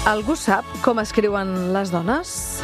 Algú sap com escriuen les dones?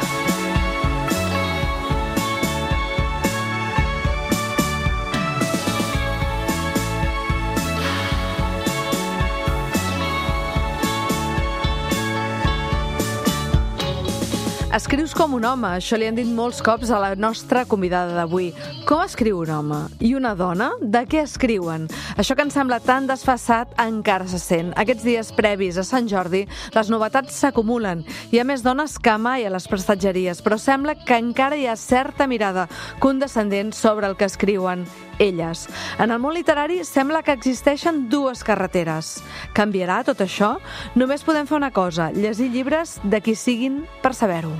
Escrius com un home, això li han dit molts cops a la nostra convidada d'avui. Com escriu un home? I una dona? De què escriuen? Això que ens sembla tan desfasat encara se sent. Aquests dies previs a Sant Jordi, les novetats s'acumulen. Hi ha més dones que mai a les prestatgeries, però sembla que encara hi ha certa mirada condescendent sobre el que escriuen elles. En el món literari sembla que existeixen dues carreteres. Canviarà tot això? Només podem fer una cosa, llegir llibres de qui siguin per saber-ho.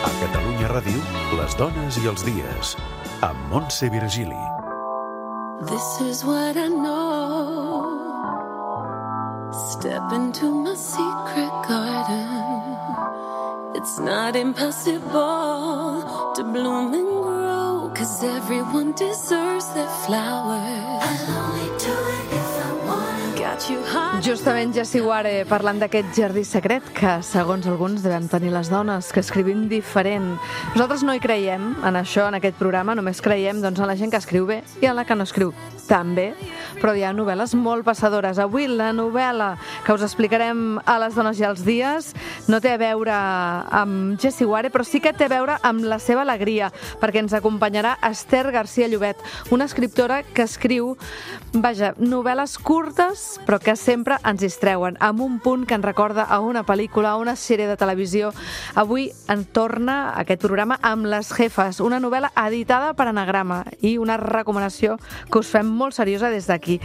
A Catalunya Ràdio, les dones i els dies, amb Montse Virgili. This is what I know. Step into my secret garden. It's not impossible to bloom and grow, 'cause everyone deserves their flowers. I'll only do it if I want. Got you hot. Justament Jessie Ware parlant d'aquest jardí secret que, segons alguns, devem tenir les dones, que escrivim diferent. Nosaltres no hi creiem en això, en aquest programa, només creiem en la gent que escriu bé i en la que no escriu tan bé, però hi ha novel·les molt passadores. Avui la novel·la que us explicarem a les dones i als dies no té a veure amb Jessie Ware, però sí que té a veure amb la seva alegria, perquè ens acompanyarà Esther García Llobet, una escriptora que escriu, novel·les curtes, però que sempre ens distreuen, amb un punt que ens recorda a una pel·lícula, a una sèrie de televisió. Avui en torna aquest programa amb Les Jefes, una novel·la editada per Anagrama i una recomanació que us fem molt seriosa des d'aquí.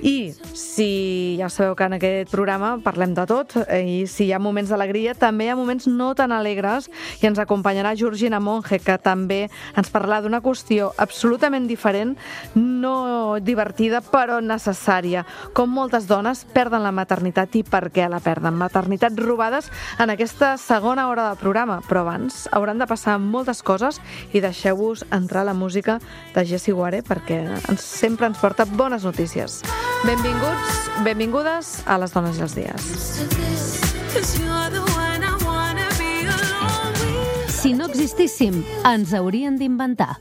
I si ja sabeu que en aquest programa parlem de tot, i si hi ha moments d'alegria, també hi ha moments no tan alegres, i ens acompanyarà Georgina Monge, que també ens parlarà d'una qüestió absolutament diferent, no divertida, però necessària. Com moltes dones perden la maternitat i per què la perden. Maternitats robades en aquesta segona hora del programa, però abans hauran de passar moltes coses i deixeu-vos entrar la música de Jessie Ware perquè sempre ens porta bones notícies. Benvinguts, benvingudes a les dones i els dies. Si no existíssim, ens haurien d'inventar.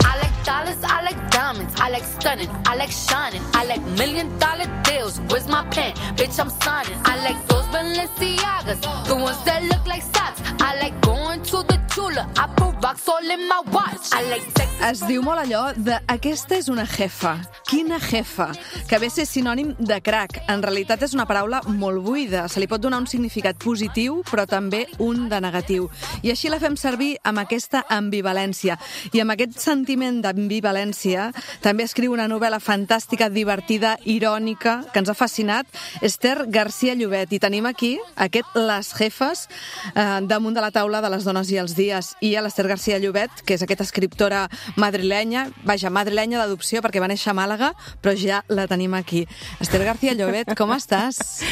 I like dollars, I like diamonds, I like stunning, I like shining, I like $1,000,000 deals. Where's my pen? Bitch, I'm signing. I like those Balenciagas, the ones that look like socks. I like going to the Tula, I put rocks all in my watch. I like sex. Es diu molt allò de aquesta és una jefa. Quina jefa? Que ve a ser sinònim de crac. En realitat és una paraula molt buida. Se li pot donar un significat positiu, però també un de negatiu. I així la fem servir amb aquesta ambivalència. I amb aquest sentiment d'ambivalència també escriu una novel·la fantàstica, divertida, irònica, que ens ha fascinat, Esther García Llobet. I tenim aquí aquest Les Jefes damunt de la taula de les dones i els dies. I a l'Esther García Llobet, que és aquesta escriptora madrilenya, madrilenya d'adopció perquè va néixer a Màlaga, però ja la tenim aquí. Esther García Llobet, ¿cómo estás?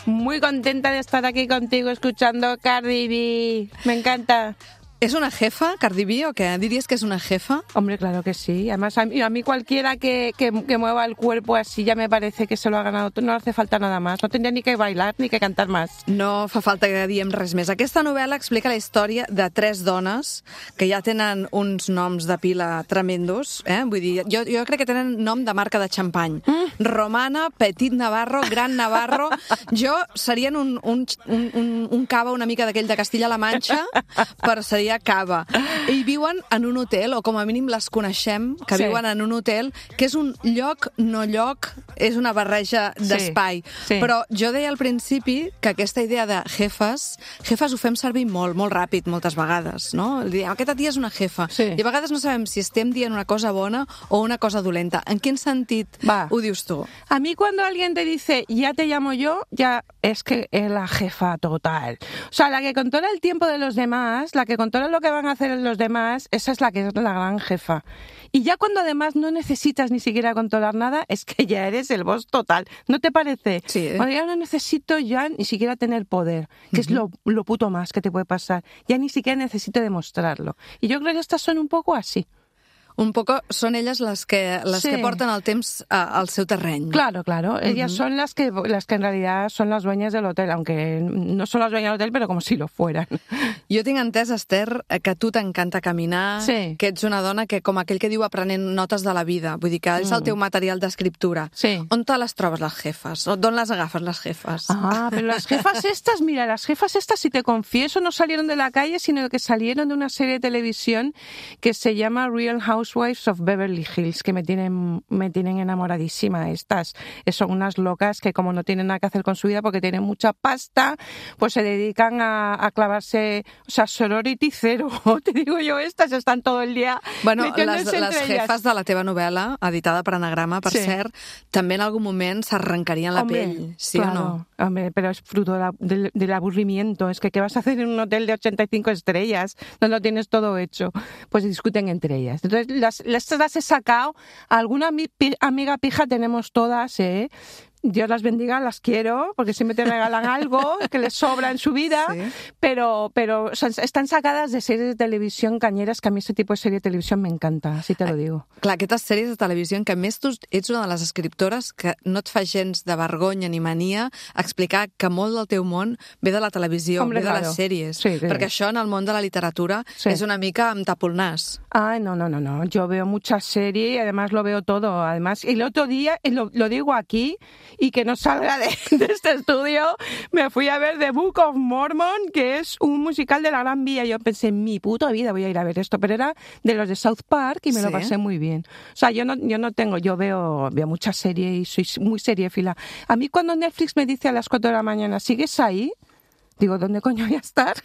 Muy contenta de estar aquí contigo escuchando Cardi B. Me encanta. ¿Es una jefa, Cardi B, o qué? ¿Dirías que es una jefa? Hombre, claro que sí. Además, a mí cualquiera que mueva el cuerpo así ya me parece que se lo ha ganado. No hace falta nada más. No tendría ni que bailar ni que cantar más. No fa falta que diem res més. Aquesta novel·la explica la història de 3 dones que ja tenen uns noms de pila tremendos. Vull dir, jo crec que tenen nom de marca de xampany. Romana, Petit Navarro, Gran Navarro. Jo serien un cava una mica d'aquell de Castilla-La Manxa, però seria Cava. I viuen en un hotel, o com a mínim les coneixem, que viuen en un hotel, que és un lloc, no lloc, és una barreja d'espai. Sí. Però jo deia al principi que aquesta idea de jefes ho fem servir molt ràpid, moltes vegades, no? Diem, aquesta tia és una jefa. Sí. I a vegades no sabem si estem dient una cosa bona o una cosa dolenta. En quin sentit ho dius tu? A mí cuando alguien te dice, ya te llamo yo, ya es que es la jefa total. O sea, la que controla el tiempo de los demás, la que controla lo que van a hacer los demás, esa es la que es la gran jefa. Y ya cuando además no necesitas ni siquiera controlar nada, es que ya eres el boss total. ¿No te parece? Sí. Cuando ya no necesito ya ni siquiera tener poder, que es lo puto más que te puede pasar. Ya ni siquiera necesito demostrarlo. Y yo creo que estas son un poco así. Un poco son ellas las que portan el temps al seu terreny. Claro. Ellas son las que en realidad son las dueñas del hotel, aunque no son las dueñas del hotel, pero como si lo fueran. Jo tinc entès, Esther, que a tu t'encanta caminar, que ets una dona que, com aquell que diu, aprenent notes de la vida. Vull dir que és el teu material d'escriptura. Sí. On te les trobes, les jefes? D'on les agafes, les jefes? Pero las jefas estas, si te confieso, no salieron de la calle, sino que salieron de una serie de televisión que se llama Real Housewives of Beverly Hills, que me tienen enamoradísima estas. Son unas locas que, como no tienen nada que hacer con su vida porque tienen mucha pasta, pues se dedican a clavarse, o sea, sorority cero. Te digo yo, estas están todo el día metiéndose les jefes de la teva novel·la, editada per Anagrama, per cert, també en algun moment s'arrencarien la pell, ¿sí o no? Hombre, pero es fruto del aburrimiento. Es que ¿qué vas a hacer en un hotel de 85 estrellas donde lo tienes todo hecho? Pues discuten entre ellas. Entonces, las he sacado. Alguna amiga pija tenemos todas, ¿eh? Dios las bendiga, las quiero, porque siempre te regalan algo que les sobra en su vida, pero o sea, están sacadas de series de televisió cañeres, que a mi este tipus de sèrie de televisió m'encanta, si te lo digo. Clar, aquestes sèries de televisió en què, a més, tu ets una de les escriptores que no et fa gens de vergonya ni mania explicar que molt del teu món ve de la televisió, ve de les sèries, perquè això en el món de la literatura és una mica amb tapo el nas. Ay, no, yo veo muchas series y además lo veo todo. Además, el otro día, lo digo aquí, y que no salga de este estudio, me fui a ver The Book of Mormon, que es un musical de la Gran Vía. Yo pensé, en mi puta vida voy a ir a ver esto, pero era de los de South Park y me lo pasé muy bien. O sea, yo veo muchas series y soy muy seriéfila. A mí cuando Netflix me dice a las 4 de la mañana, ¿sigues ahí? Digo, ¿dónde coño voy a estar?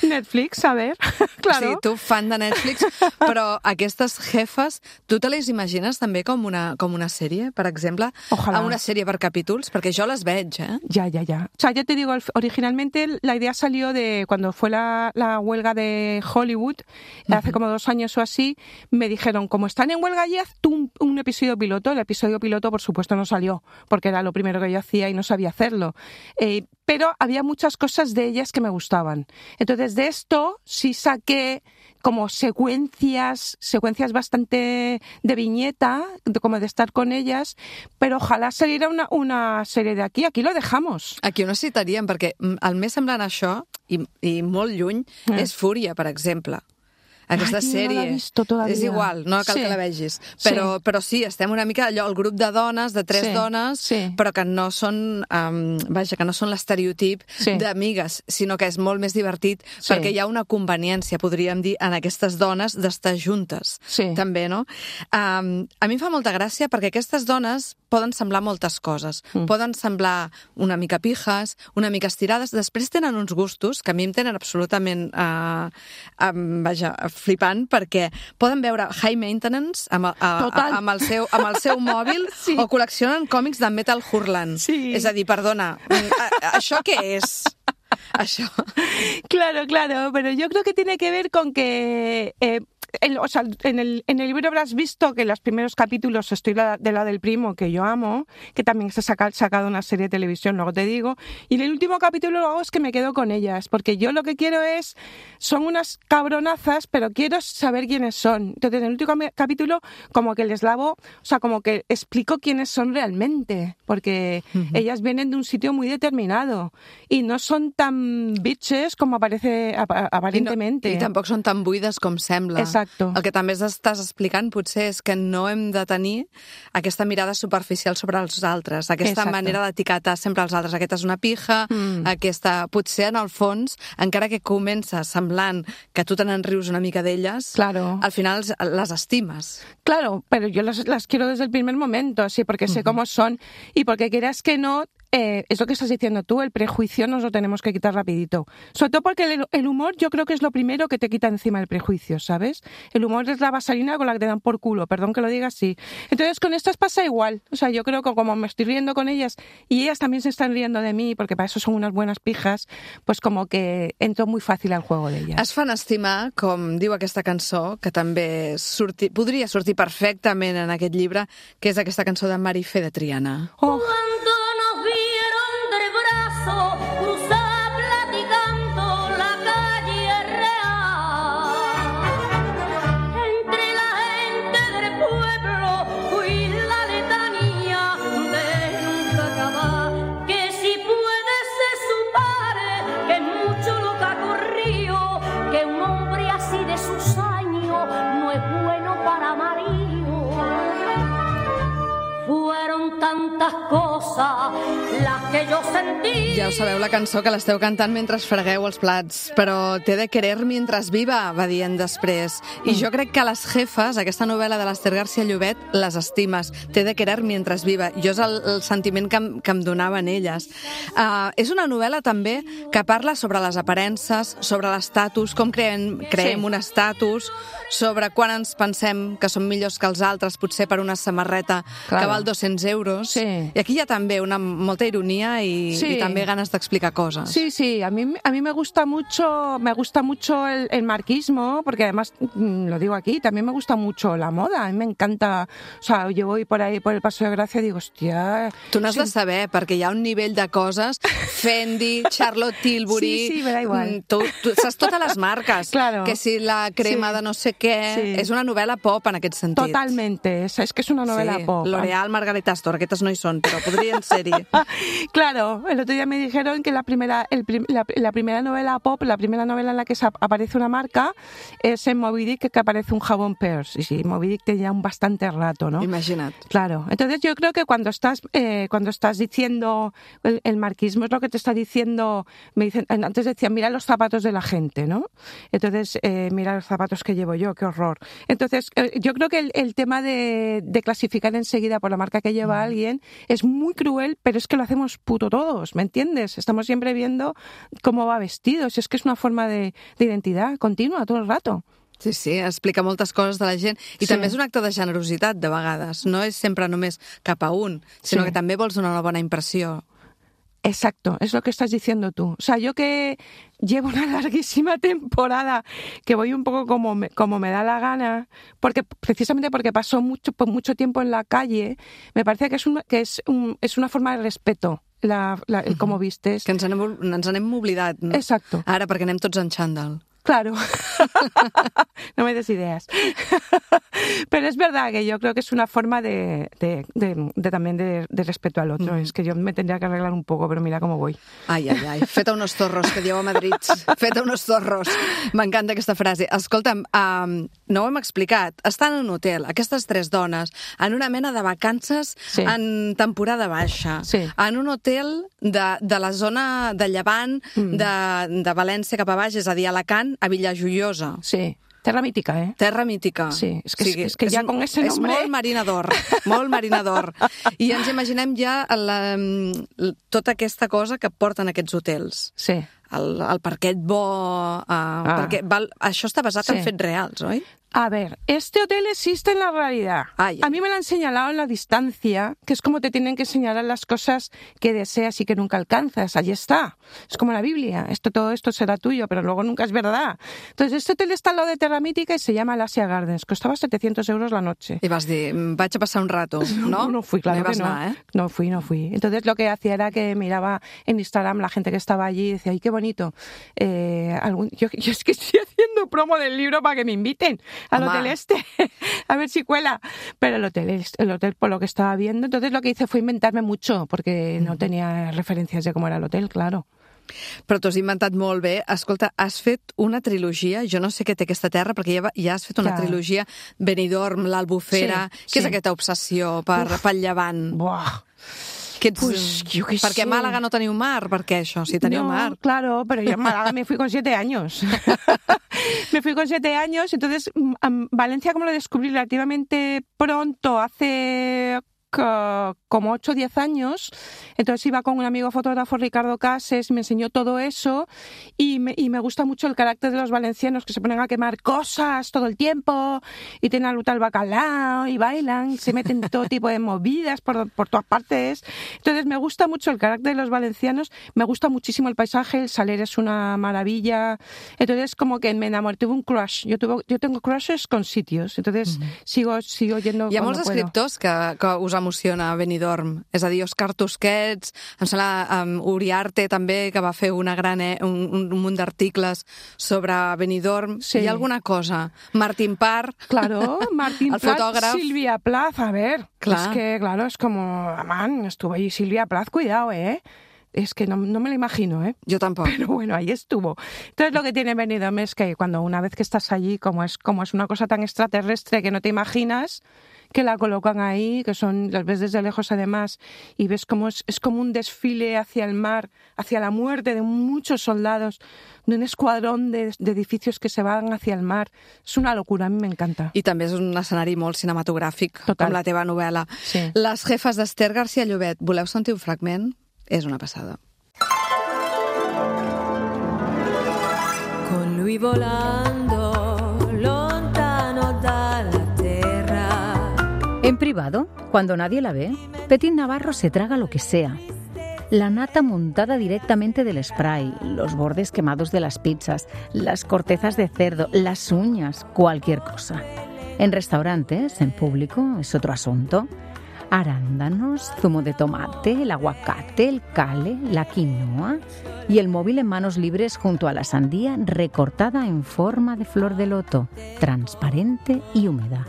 Netflix, a ver, claro. Sí, tu fan de Netflix, però aquestes jefes, tu te les imagines també com una sèrie, per exemple? Ojalá. Una sèrie per capítols, perquè jo les veig, ¿eh? Ya. O sea, ya te digo, originalmente la idea salió de cuando fue la huelga de Hollywood, hace como 2 años o así, me dijeron, como están en huelga allí, haz tú un episodio piloto. El episodio piloto, por supuesto, no salió, porque era lo primero que yo hacía y no sabía hacerlo. Pero había muchas cosas de ellas que me gustaban. Entonces, de esto sí saqué como secuencias bastante de viñeta, como de estar con ellas, pero ojalà saliera una sèrie d'aquí. Aquí lo dejamos. Aquí ho necessitaríem, perquè el més semblant a això, i molt lluny, és Fúria, per exemple. Aquesta sèrie no l'he visto todavía. És igual, no cal que la vegis, però sí, estem una mica allò, el grup de dones, de 3 dones, però que no són que no són l'estereotip d'amigues, sinó que és molt més divertit, perquè hi ha una conveniència, podríem dir, en aquestes dones d'estar juntes, també, no? A mi em fa molta gràcia perquè aquestes dones poden semblar moltes coses, poden semblar una mica pijes, una mica estirades, després tenen uns gustos que a mi em tenen absolutament flipant, perquè poden veure High Maintenance amb el seu mòbil o col·leccionen còmics de Metal Hurlan. És a dir, perdona, això què és? Això. Claro, pero yo creo que tiene que ver con que o sea, en el libro habrás visto que en los primeros capítulos estoy de la del primo, que yo amo, que también se ha sacado una serie de televisión, luego te digo, y en el último capítulo lo hago es que me quedo con ellas, porque yo lo que quiero son unas cabronazas, pero quiero saber quiénes son. Entonces, en el último capítulo, como que les lavo, o sea, como que explico quiénes son realmente, porque ellas vienen de un sitio muy determinado y no son tan bitches como aparece aparentemente. I tampoc són tan buides com sembla. Exacto. El que també estàs explicant potser és que no hem de tenir aquesta mirada superficial sobre els altres, aquesta manera d'etiquetar sempre els altres. Aquesta és una pija, aquesta... Potser, en el fons, encara que comença semblant que tu te n'enrius una mica d'elles, al final les estimes. Claro, pero yo las quiero desde el primer momento, sí, porque sé cómo son y porque quieras que no... es lo que estás diciendo tú, el prejuicio nos lo tenemos que quitar rapidito. Sobre todo porque el humor yo creo que es lo primero que te quita encima el prejuicio, ¿sabes? El humor es la vaselina con la que te dan por culo, perdón que lo diga así. Entonces con estas pasa igual. O sea, yo creo que como me estoy riendo con ellas y ellas también se están riendo de mí, porque para eso son unas buenas pijas, pues como que entro muy fàcil al juego de ellas. Es fan estimar, com diu aquesta cançó, que també podria sortir perfectament en aquest llibre, que és aquesta cançó de Marifé de Triana. Oh. Cruzar platicando la calle real, entre la cosa, la que yo sentí. Ja ho sabeu, la cançó que l'esteu cantant mentre fregueu els plats, però té de querer mientras viva, va dient després. I jo crec que les jefes, aquesta novel·la de l'Ester García Llobet, les estimes. Té de querer mientras viva. Jo és el sentiment que em donaven elles. És una novel·la també que parla sobre les aparences, sobre l'estatus, com creem un estatus, sobre quan ens pensem que som millors que els altres, potser per una samarreta que val 200 euros. Sí. I aquí hi ha també molta ironia y también ganas de explicar cosas. Sí, a mí me gusta mucho el marquismo, porque además, lo digo aquí, también me gusta mucho la moda, a mí me encanta, o sea, yo voy por ahí por el Paseo de Gracia y digo, hostia... Tu n'has de saber, perquè hi ha un nivell de coses, Fendi, Charlotte Tilbury... Sí, me da igual. Tu saps totes les marques, claro. Que si la crema de no sé què... És una novel·la pop en aquest sentit. Totalmente, es que es una novela pop. L'Oreal, Margarita Astor, aquestes no hi són, però podrien ser-hi. Claro, el otro día me dijeron que la primera novela pop, la primera novela en la que aparece una marca es en Moby Dick, que aparece un jabón Pearce. Y sí, Moby Dick tenía un bastante rato, ¿no? Imagina't. Claro, entonces yo creo que cuando estás diciendo el marquismo es lo que te está diciendo, me dicen, antes decían, mira los zapatos de la gente, ¿no? Entonces, mira los zapatos que llevo yo, qué horror. Entonces, yo creo que el tema de clasificar enseguida por la marca que lleva alguien es muy cruel, pero es que lo hacemos puto todos, ¿me entiendes? Estamos siempre viendo cómo va vestido, si es que es una forma de identidad continua todo el rato. Sí, explica moltes coses de la gent i també és un acte de generositat, de vegades. No és sempre només cap a un, sinó que també vols donar una bona impressió. Exacto, es lo que estás diciendo tú. O sea, yo que llevo una larguísima temporada, que voy un poco como me da la gana, precisamente porque paso mucho tiempo en la calle, me parece que es una forma de respeto. El cómo vistes. Que ens n'hem oblidat. No? Exacto. Ara, perquè anem tots en xandall. Claro, no me des ideas. Pero es verdad que yo creo que es una forma de también de respeto al otro. Es que yo me tendría que arreglar un poco, pero mira cómo voy. Ai, feta unos zorros, que dieu a Madrid. Feta unos zorros. M'encanta aquesta frase. Escolta'm, no ho hem explicat. Estan en un hotel, aquestes tres dones, en una mena de vacances en temporada baixa. Sí. En un hotel de la zona de Llevant, de València cap a baix, és a dir, Alacant, a Villajoiosa. Sí. Terra mítica, ¿eh? Terra mítica. Sí, es que ja con ese nombre... És molt Marina d'Or. I ens imaginem ja tota aquesta cosa que porten aquests hotels. Sí. El parquet bo... Perquè això està basat en fets reals, oi? A ver, este hotel existe en la realidad. A mí me lo han señalado en la distancia, que es como te tienen que señalar las cosas que deseas y que nunca alcanzas. Allí está. Es como la Biblia. Todo esto será tuyo, pero luego nunca es verdad. Entonces, este hotel está al lado de Terra Mítica y se llama Asia Gardens. Costaba 700 euros la noche. Y vas dir, vaig a pasar un rato, ¿no? No fui, claro que no. Anar, ¿eh? No fui. Entonces, lo que hacía era que miraba en Instagram la gente que estaba allí y decía, ¡ay, qué bonito! Yo es que estoy haciendo promo del libro para que me inviten al hotel a ver si cuela, pero el hotel por lo que estaba viendo, entonces lo que hice fue inventarme mucho, porque no tenía referencias de cómo era el hotel, claro. Però t'ho has inventat molt bé. Escolta, has fet una trilogia, jo no sé què té aquesta terra, perquè ja has fet una trilogia, Benidorm, l'Albufera... Què és aquesta obsessió pel Llevant? Buah... Pues yo qué sé. Perquè a Málaga no teniu mar, per què això? Si teniu mar. Claro, pero yo en Málaga me fui con 7 años. Me fui con 7 años, entonces Valencia como lo descubrí relativamente pronto, hace como 8 o 10 años, entonces iba con un amigo fotógrafo, Ricardo Cases, y me enseñó todo eso, y me gusta mucho el carácter de los valencianos, que se ponen a quemar cosas todo el tiempo, y tienen a lutar el bacalao, y bailan, se meten todo tipo de movidas por todas partes. Entonces me gusta mucho el carácter de los valencianos, me gusta muchísimo el paisaje, el Saler es una maravilla, entonces como que me enamoré, tuve un crush, yo tengo crushes con sitios, entonces sigo yendo. Hi ha molts escriptors que us emociona Benidorm, és a dir, Òscar Tusquets, em sembla Uriarte també, que va fer un munt d'articles sobre Benidorm. Sí. Hi ha alguna cosa? Martín Parr, claro, Martín el Plath, fotògraf. Silvia Plath, a ver, Clar. es que, claro, es como, man, estuvo allí Silvia Plath, cuidado, es que no me lo imagino, ¿eh? Yo tampoco. Pero bueno, ahí estuvo. Entonces lo que tiene Benidorm es que cuando una vez que estás allí, como es una cosa tan extraterrestre que no te imaginas, que la colocan ahí, que las ves desde lejos además, y ves como es como un desfile hacia el mar, hacia la muerte de muchos soldados, de un escuadrón de edificios que se van hacia el mar. És una locura, a mi m'encanta. I també és un escenari molt cinematogràfic, Total. com la teva novel·la. Sí. Les jefes d'Esther García Llobet. Voleu sentir un fragment? És una passada. Con lui volando lontano dalla terra. En privado, cuando nadie la ve, Petit Navarro se traga lo que sea. La nata montada directamente del spray, los bordes quemados de las pizzas, las cortezas de cerdo, las uñas, cualquier cosa. En restaurantes, en público, es otro asunto. Arándanos, zumo de tomate, el aguacate, el cale, la quinoa y el móvil en manos libres junto a la sandía recortada en forma de flor de loto, transparente y húmeda.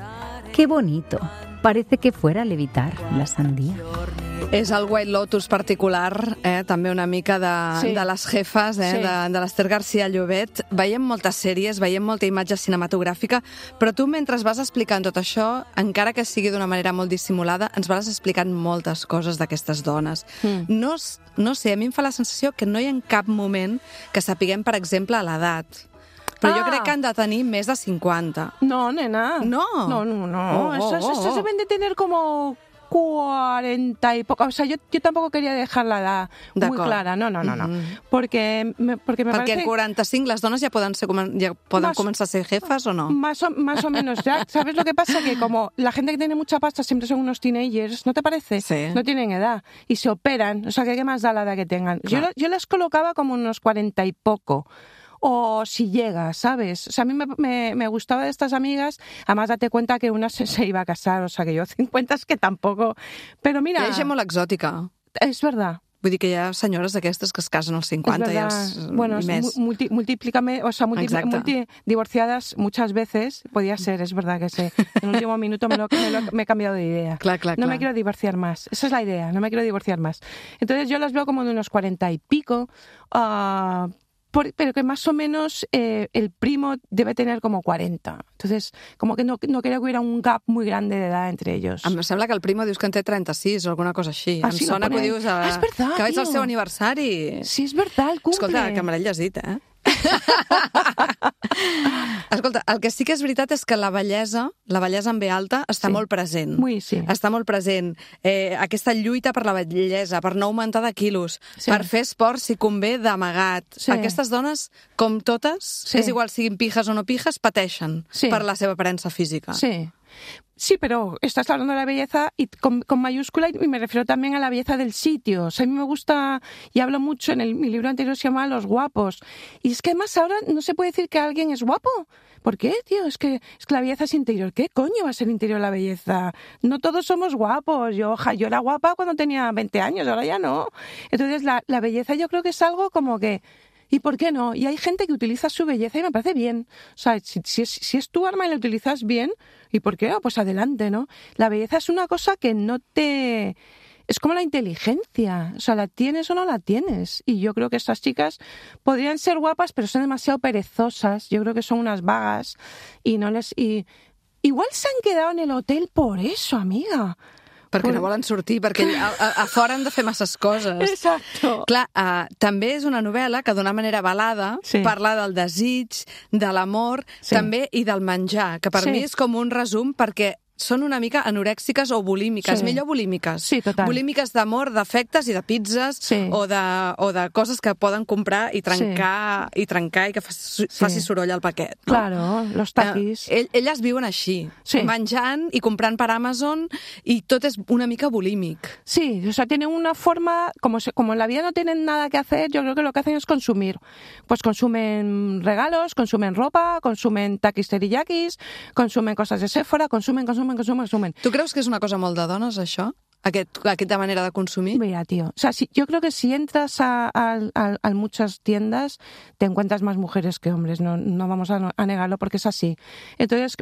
¡Qué bonito! Parece que fuera a levitar la sandía. És el White Lotus particular, també una mica de les jefes, Sí. de l'Esther García Llobet. Veiem moltes sèries, veiem molta imatge cinematogràfica, però tu, mentre vas explicant tot això, encara que sigui d'una manera molt dissimulada, ens vas explicant moltes coses d'aquestes dones. No sé, a mi em fa la sensació que no hi ha cap moment que sapiguem, per exemple, l'edat. Però jo crec que han de tenir més de 50. No, nena. No. No. Estos deben de tener como 40 y poco. O sea, yo tampoco quería dejar la edad muy clara. No. Porque me Perquè parece... en 45 les dones ja poden començar a ser jefes o no? Más o menos ya. ¿Sabes lo que pasa? Que como la gente que tiene mucha pasta siempre son unos teenagers, ¿no te parece? Sí. No tienen edad y se operan. O sea, ¿qué más da la edad que tengan? Yo las colocaba como unos 40 y poco. O si llega, ¿sabes? O sea, a mí me gustaba de estas amigas. Además, date cuenta que una se iba a casar. O sea, que yo 50 es que tampoco... Pero mira... Hi ha gent molt exòtica. Es verdad. Vull dir que hi ha senyores d'aquestes que es casen als 50 bueno, i més. Multiplícame, o sea, divorciadas muchas veces, podía ser, es verdad que sí. En el último minuto me he cambiado de idea. No me quiero divorciar más. Esa es la idea, no me quiero divorciar más. Entonces yo las veo como de unos 40 y pico, pero que más o menos el primo debe tener como 40. Entonces, como que no quería que hubiera un gap muy grande de edad entre ellos. Em sembla que el primo dius que en té 36 o alguna cosa així. Ah, em sí, sona que ho dius es verdad, que vaig al tío. seu aniversari. Sí, es verdad, el cumple. Escolta, que me l'he llegit, eh? Escolta, el que sí que és veritat és que la bellesa en B alta està molt present. Sí. Està molt present. Aquesta lluita per la bellesa, per no augmentar de quilos, per fer esport si convé d'amagat. Sí. Aquestes dones, com totes, és igual siguin pijes o no pijes, pateixen per la seva aparença física. Sí, pero estás hablando de la belleza y con mayúscula y me refiero también a la belleza del sitio. O sea, a mí me gusta, y hablo mucho en mi libro anterior se llama Los guapos. Y es que además ahora no se puede decir que alguien es guapo. ¿Por qué, tío? Es que la belleza es interior. ¿Qué coño va a ser interior la belleza? No todos somos guapos. Yo era guapa cuando tenía 20 años, ahora ya no. Entonces la belleza yo creo que es algo como que... ¿Y por qué no? Y hay gente que utiliza su belleza y me parece bien. O sea, si es tu arma y la utilizas bien, ¿y por qué no? Pues adelante, ¿no? La belleza es una cosa que no te... Es como la inteligencia. O sea, ¿la tienes o no la tienes? Y yo creo que estas chicas podrían ser guapas, pero son demasiado perezosas. Yo creo que son unas vagas y no les... Igual se han quedado en el hotel por eso, amiga. Perquè no volen sortir, perquè a fora han de fer masses coses. Exacto. Clar, també és una novel·la que d'una manera velada parla del desig, de l'amor, també, i del menjar, que per mi és com un resum, perquè són una mica anorèxiques o bulímiques, millor bulímiques. Sí, total. Bulímiques d'amor, d'afectes i de pizzas o de coses que poden comprar i trencar i que faci soroll al paquet. No? Claro, los taquis. Elles viuen així, menjant i comprant per Amazon i tot és una mica bulímic. Sí, o sea, tienen una forma, como en la vida no tienen nada que hacer, yo creo que lo que hacen es consumir. Pues consumen regalos, consumen ropa, consumen taquis teriyakis, consumen cosas de Sephora, consumen. Tu creus que és una cosa molt de dones, això? Aquesta manera de consumir? Mira, tío, o sea, yo creo que si entras a muchas tiendas te encuentras más mujeres que hombres, no vamos a negarlo porque es así. Entonces,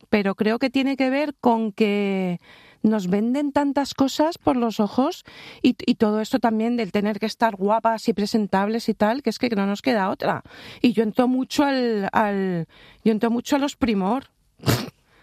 pero creo que tiene que ver con que nos venden tantas cosas por los ojos y todo esto también del tener que estar guapas y presentables y tal, que es que no nos queda otra. Y yo entro mucho yo entro mucho a los Primor.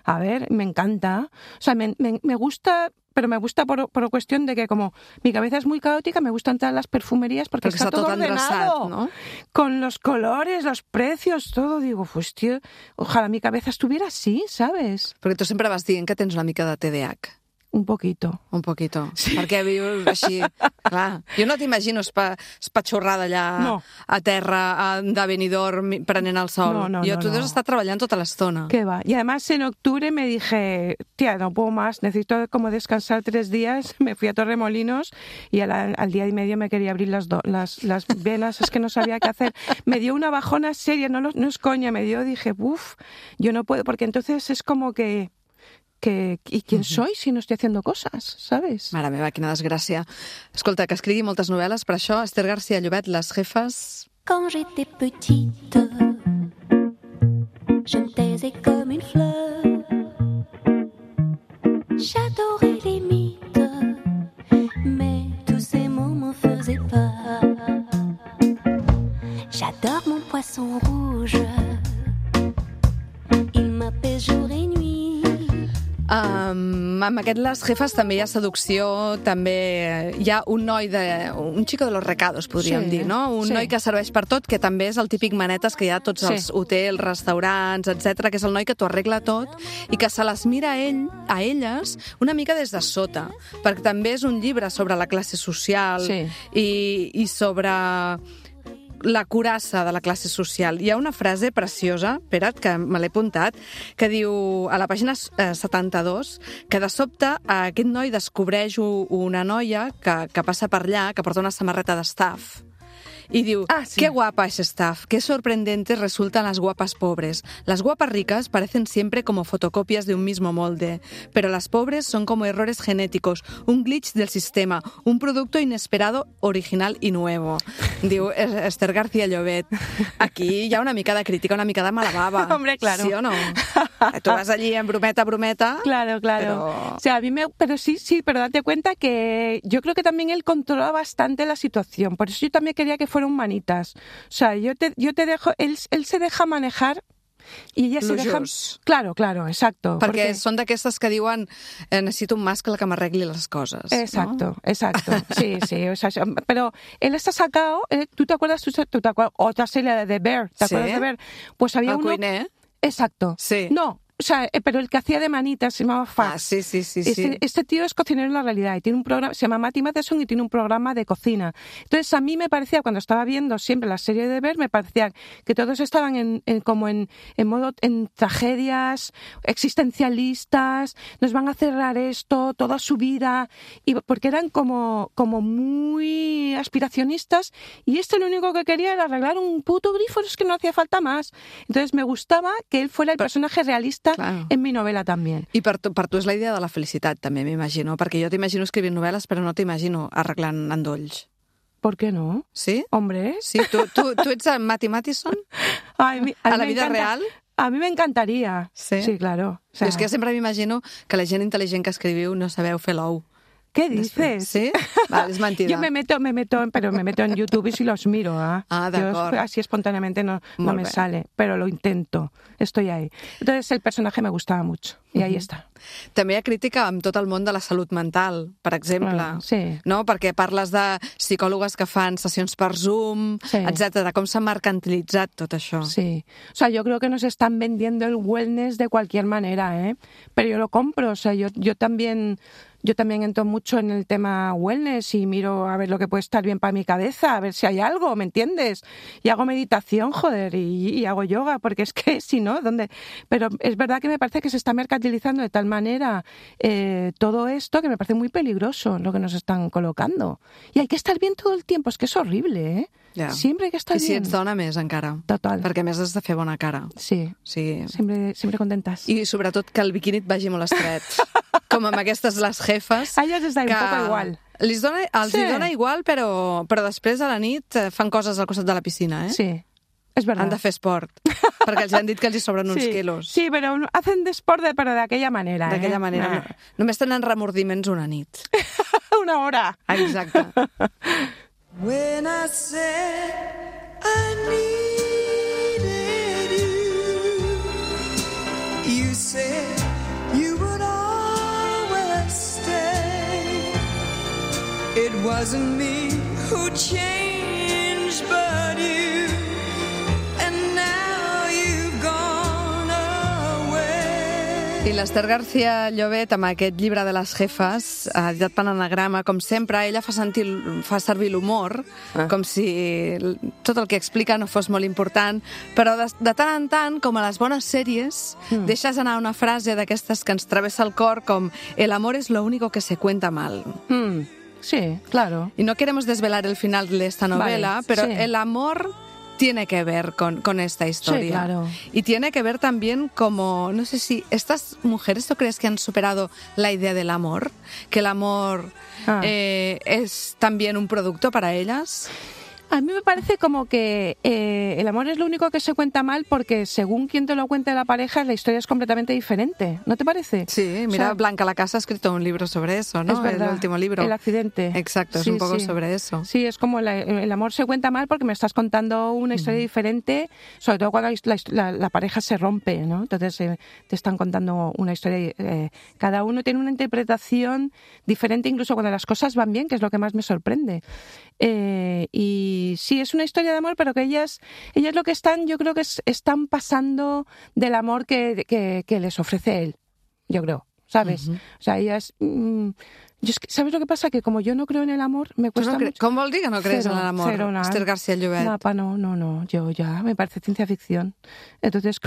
A ver, me encanta. O sea, me gusta, pero me gusta por cuestión de que como mi cabeza es muy caótica, me gusta entrar a las perfumerías porque está todo ordenado, ¿no? Con los colores, los precios, todo. Digo, pues tío, ojalà mi cabeza estuviera así, ¿sabes? Perquè tu sempre vas dient que tens una mica de TDAH. Un poquito. Un poquito. Sí. Perquè vius així... Clar, jo no t'imagino espatxorrada allà a terra de Benidorm prenent el sol. Tu deus estar treballant tota l'estona. ¿Qué va? Y además en octubre me dije, tía, no puedo más, necesito como descansar 3 días. Me fui a Torremolinos y al día y medio me quería abrir las venas, es que no sabía qué hacer. Me dio una bajona seria, no es coña, dije, yo no puedo, porque entonces es como que ¿y quién soy si no estoy haciendo cosas, sabes? Mare meva, quina desgràcia. Escolta, que escrigui moltes novel·les per això. Esther García Llobet, Les jefes... Quand j'étais petite, je me taisais comme une fleur. J'adorais les mythes, mais tous ces mots m'en faisaient peur. J'adore mon poisson rouge, il m'apaise jour et nuit. Amb aquest Les jefes també hi ha seducció, també hi ha un xico de los recados, podríem dir, no? Un noi que serveix per tot, que també és el típic manetes que hi ha a tots els hotels, restaurants, etc, que és el noi que t'ho arregla tot i que se les mira a elles una mica des de sota, perquè també és un llibre sobre la classe social i sobre la curassa de la classe social. Hi ha una frase preciosa, espera't, que me l'he apuntat, que diu, a la pàgina 72, que de sobte aquest noi descobreix una noia que passa per allà, que porta una samarreta d'Staff. Y diu, qué guapa es Staff, qué sorprendentes resultan las guapas pobres. Las guapas ricas parecen siempre como fotocopias de un mismo molde, pero las pobres son como errores genéticos, un glitch del sistema, un producto inesperado, original y nuevo. Diu Esther García Llobet. Aquí hi ha una mica de crítica, una mica de mala baba. Hombre, claro. ¿Sí o no? Tú vas allí en brometa. Claro. Pero... O sea, pero sí, pero date cuenta que yo creo que también él controla bastante la situación. Por eso yo también quería que fueran manitas. O sea, yo te dejo, él se deja manejar i ella se deja... Claro, exacto. Perquè són d'aquestes que diuen necesito un mascle que m'arregli les coses. Exacto, ¿no? Exacto. Sí. O sea, pero él está sacado, ¿tú te acuerdas? Otra serie de The Bear, ¿te acuerdas de Bear? Pues había uno... Cuiner. Exacto. Sí. No. O sea, pero el que hacía de manitas se llamaba Fax. Sí. Este tío es cocinero en la realidad y tiene un programa, se llama Matty Matheson y tiene un programa de cocina. Entonces a mí me parecía, cuando estaba viendo siempre la serie de Ver, me parecía que todos estaban en modo, en tragedias existencialistas, nos van a cerrar esto, toda su vida, y porque eran como muy aspiracionistas, y lo único que quería era arreglar un puto grifo, es que no hacía falta más. Entonces me gustaba que él fuera el personaje realista en mi novela també. I per tu és la idea de la felicitat, també, m'imagino, perquè jo t'imagino escrivint novel·les, però no t'imagino arreglant endolls. ¿Por qué no? ¿Sí? Hombre. Sí, ¿tú ets en Matty Matheson? A la vida real? A mí me encantaría. Sí, claro. O sea, és que sempre m'imagino que la gent intel·ligent que escriviu no sabeu fer l'ou. ¿Qué dices? ¿Sí? Vale, es mentira. Yo me meto en YouTube y si los miro. D'acord. Así espontáneamente no me sale, pero lo intento. Estoy ahí. Entonces el personaje me gustaba mucho y ahí está. També hi ha crítica amb tot el món de la salut mental, per exemple. Sí. No? Perquè parles de psicòlogues que fan sessions per Zoom, etc. Com s'ha mercantilitzat tot això. Sí. O sea, yo creo que nos están vendiendo el wellness de cualquier manera, ¿eh? Pero yo lo compro. O sea, yo también entro mucho en el tema wellness y miro a ver lo que puede estar bien para mi cabeza, a ver si hay algo, ¿me entiendes? Y hago meditación, joder, y hago yoga, porque es que si no, ¿dónde? Pero es verdad que me parece que se está mercantilizando de tal manera todo esto que me parece muy peligroso lo que nos están colocando. Y hay que estar bien todo el tiempo, es que es horrible, ¿eh? Ja. Sempre hay que estar bien. I si ets dona, més encara. Total. Perquè a més has de fer bona cara. Sí. Sempre contentes. I sobretot que el biquini et vagi molt estret. Com amb aquestes Les jefes. A ellas les da un poco igual. Els dona igual, però després a la nit fan coses al costat de la piscina, eh? Sí. Es verdad. Han de fer esport, perquè els han dit que els hi sobren uns quilos. Sí, però hacen d'esport, però d'aquella manera. D'aquella manera. Només tenen remordiments una nit. Una hora. Exacte. When I said I needed you, you said you would always stay. It wasn't me who changed, but you. I l'Ester García Llobet, amb aquest llibre de les jefes, editat per Anagrama, com sempre, ella fa servir l'humor, com si tot el que explica no fos molt important, però de tant en tant, com a les bones sèries, deixes anar una frase d'aquestes que ens travessa el cor, com «El amor es lo único que se cuenta mal». Sí, claro. Y no queremos desvelar el final de esta novela, vale, pero sí. el amor tiene que ver con esta historia. Sí, claro. Y tiene que ver también como, no sé si estas mujeres, ¿tú crees que han superado la idea del amor? Que el amor es también un producto para ellas. A mí me parece como que el amor es lo único que se cuenta mal porque según quien te lo cuente la pareja, la historia es completamente diferente. ¿No te parece? Sí, mira, Blanca Lacasa ha escrito un libro sobre eso, ¿no? Es verdad, el último libro. El accidente. Exacto, es un poco sobre eso. Sí, es como el amor se cuenta mal porque me estás contando una historia diferente, sobre todo cuando la pareja se rompe, ¿no? Entonces te están contando una historia, cada uno tiene una interpretación diferente, incluso cuando las cosas van bien, que es lo que más me sorprende. Y sí, es una historia de amor, pero que ellas lo que están, yo creo que están pasando del amor que les ofrece él, yo creo, ¿sabes? O sea, ellas... ¿sabes lo que pasa? Que como yo no creo en el amor, me cuesta mucho... ¿Cómo vol dir que no crees en el amor, Esther García Llobet? No, yo ya me parece ciencia ficción. Entonces,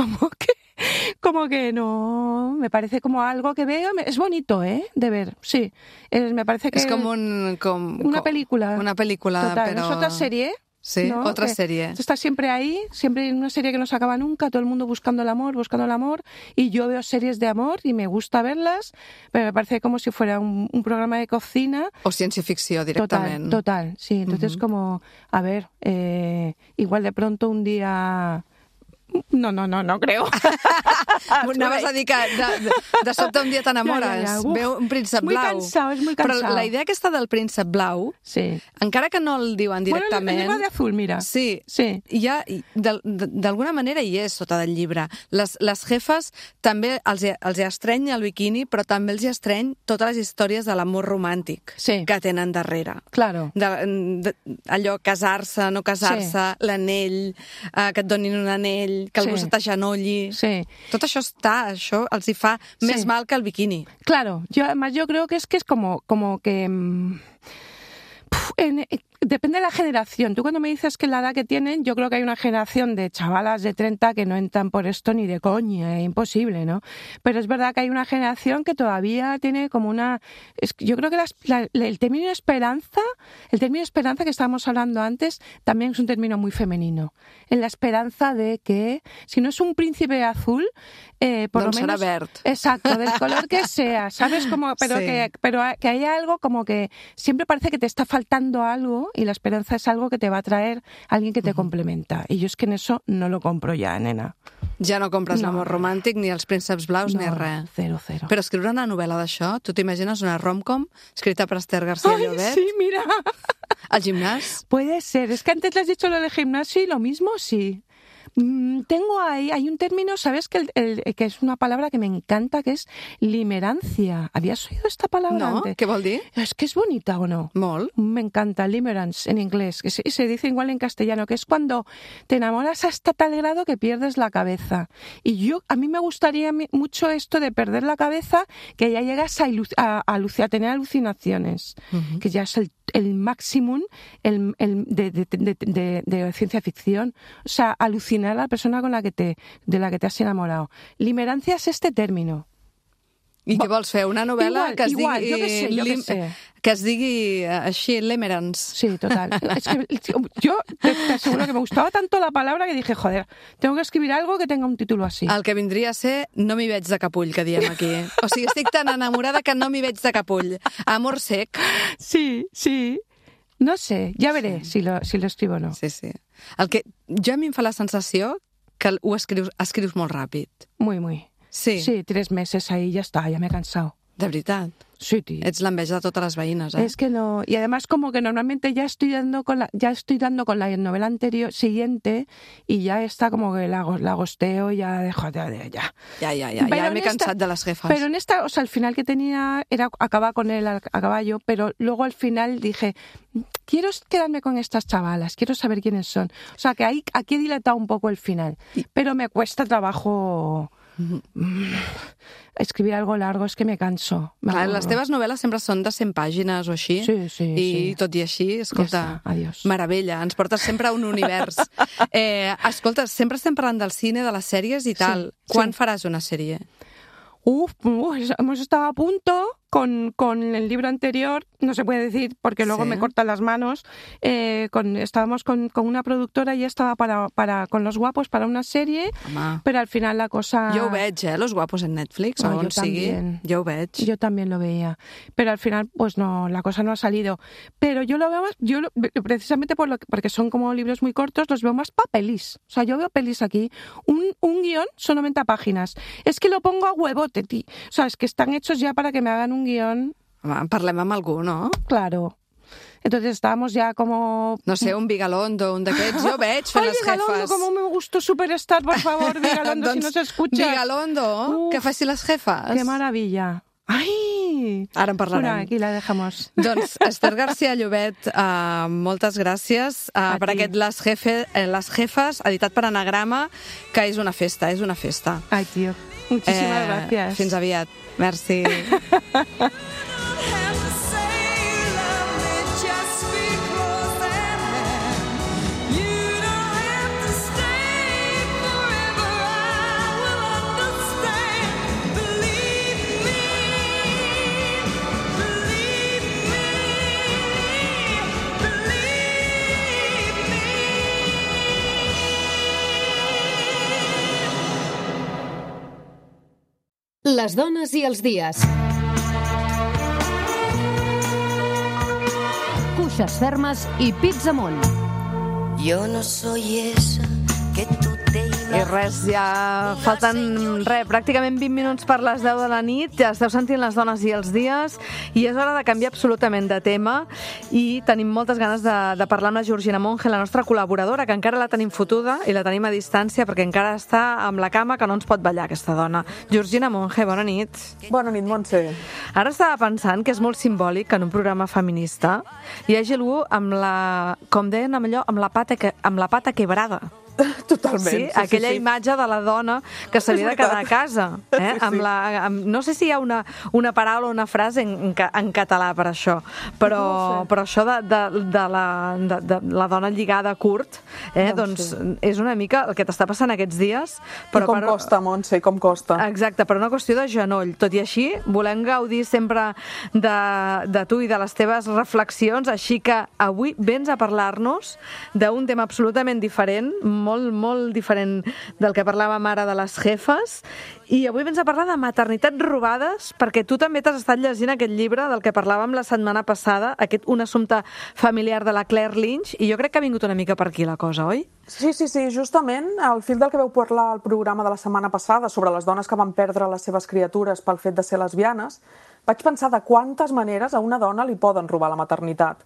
como que no, me parece como algo que veo, es bonito, de ver, sí. Me parece que... Es como una película. Una película, total, pero... Es otra serie. Sí, ¿no? otra serie. Está siempre ahí, siempre en una serie que no se acaba nunca, todo el mundo buscando el amor, y yo veo series de amor y me gusta verlas, pero me parece como si fuera un programa de cocina. O ciencia ficción directamente. Total, sí. Entonces como, a ver, igual de pronto un día... No creo. Anaves a dir que de sobte un dia t'enamores, ja. Veu un príncep blau. És muy cansado. Però la idea aquesta del príncep blau, sí. Encara que no el diuen directament... Bueno, el llibre de azul, mira. Sí. D'alguna manera hi és sota del llibre. Les jefes també els hi estreny el biquini, però també els hi estreny totes les històries de l'amor romàntic que tenen darrere. Claro. Allò, casar-se, no casar-se, l'anell, que et donin un anell, que algú se t'agenolli. Sí. Tot això això els hi fa més mal que el biquini. Claro, además yo creo que es como que... Depende de la generación. Tú cuando me dices que la edad que tienen, yo creo que hay una generación de chavalas de 30 que no entran por esto ni de coña, es imposible, ¿no? Pero es verdad que hay una generación que todavía tiene como una... Yo creo que el término esperanza que estábamos hablando antes, también es un término muy femenino. En la esperanza de que, si no es un príncipe azul, por lo menos... será verd. Exacto, del color que sea, ¿sabes? Pero que haya algo como que siempre parece que te está faltando algo y la esperanza es algo que te va a traer alguien que te complementa. Y yo es que en eso no lo compro ya, nena. Ja no compres l'amor romàntic, ni els prínceps blaus, ni res. Cero. Però escriure una novel·la d'això, tu t'imagines una rom-com escrita per Esther García Llobet? Sí, mira. ¿Al gimnasio? Puede ser. Es que antes le has dicho lo del gimnasio y lo mismo, sí. Tengo hay un término, ¿sabes? Que es una palabra que me encanta, que es limerancia. ¿Habías oído esta palabra antes? ¿Qué vol dir? Es que es bonita, ¿o no? Molt. Me encanta, limerence en inglés, que se dice igual en castellano, que es cuando te enamoras hasta tal grado que pierdes la cabeza. Y a mí me gustaría mucho esto de perder la cabeza, que ya llegas a tener alucinaciones, que ya es el máximo de ciencia ficción. O sea, alucinar a la persona de la que te has enamorado. Limerancia es este término. I què vols fer? Una novel·la que es digui... Jo què sé. Que es digui així, Limerence. Sí, total. Es que yo te aseguro que me gustaba tanto la palabra que dije, joder, tengo que escribir algo que tenga un título así. El que vindria a ser no m'hi veig de capull, que diem aquí. O sigui, estic tan enamorada que no m'hi veig de capull. Amor sec. Sí. No sé, ja veré si lo escribo o no. Sí. El que jo a mi em fa la sensació que ho escrius molt ràpid. Muy. Sí. Sí, 3 meses ahí ya está, ya me he cansado. De veritat. Sí, tío. Ets l'enveja de totes les veïnes, Es que no, y además como que normalmente ya estoy dando con la novela anterior, siguiente, y ya está como que la gosteo y ya dejo de ya. Ja m'he cansat de les jefes. Pero en esta, o sea, el final que tenía era acabar con él a caballo, pero luego al final dije, quiero quedarme con estas chavalas, quiero saber quiénes son. O sea, que aquí he dilatado un poco el final, pero me cuesta trabajo... escribir algo largo és que me canso. Clar, les teves novel·les sempre són de 100 pàgines o així. Sí. I tot i així, escolta, meravella, ens portes sempre a un univers. Escolta, sempre estem parlant del cine, de les sèries i tal. Quan faràs una sèrie? Hemos estado a punto con el libro anterior, no se puede decir porque luego me cortan las manos, estábamos con una productora y ya estaba con Los Guapos para una serie, pero al final la cosa... Jo ho veig, Los Guapos en Netflix, o on sigui, jo ho veig. Yo también lo veía, pero al final pues no, la cosa no ha salido. Pero yo lo veo más, precisamente porque son como libros muy cortos, los veo más para pelis. O sea, yo veo pelis aquí, un guión son 90 páginas. Es que lo pongo a huevote, tío. O sea, es que están hechos ya para que me hagan un guión. Parlem amb algú, no? Claro. Entonces estábamos ya como... No sé, un Vigalondo, un d'aquests, jo veig fent les jefes. Ay, Vigalondo, como me gustó Superstar, por favor, Vigalondo, si no se escucha. Vigalondo, que faci les jefes. Qué maravilla. Ai! Ara en parlarem. Bueno, aquí la dejamos. Doncs, Esther García Llobet, moltes gràcies per aquest Les Jefes, editat per Anagrama, que és una festa, és una festa. Ai, tio, muchísimas gracias. Fins aviat. Merci. Les dones i els dies. Cuixes fermes i pits amunt. Yo no soy esa que tú te I res, ja falten pràcticament 20 minuts per les 10 de la nit, ja esteu sentint Les dones i els dies, i és hora de canviar absolutament de tema, i tenim moltes ganes de parlar amb la Georgina Monge, la nostra col·laboradora, que encara la tenim fotuda i la tenim a distància perquè encara està amb la cama, que no ens pot ballar aquesta dona. Georgina Monge, bona nit. Bona nit, Montse. Ara estava pensant que és molt simbòlic que en un programa feminista hi hagi algú amb la, com deien allò, amb la pata quebrada. Totalment. Sí, aquella imatge de la dona que s'havia de quedar a casa. No sé si hi ha una paraula o una frase en català per això, però això de la dona lligada curt, doncs és una mica el que t'està passant aquests dies. I com costa, Montse, com costa. Exacte, per una qüestió de genoll. Tot i així, volem gaudir sempre de tu i de les teves reflexions, així que avui vens a parlar-nos d'un tema absolutament diferent, molt diferent del que parlàvem ara de les jefes, i avui vens a parlar de maternitats robades, perquè tu també t'has estat llegint aquest llibre del que parlàvem la setmana passada, Un assumpte familiar de la Claire Lynch, i jo crec que ha vingut una mica per aquí la cosa, oi? Sí, justament al fil del que vau parlar al programa de la setmana passada sobre les dones que van perdre les seves criatures pel fet de ser lesbianes, vaig pensar de quantes maneres a una dona li poden robar la maternitat.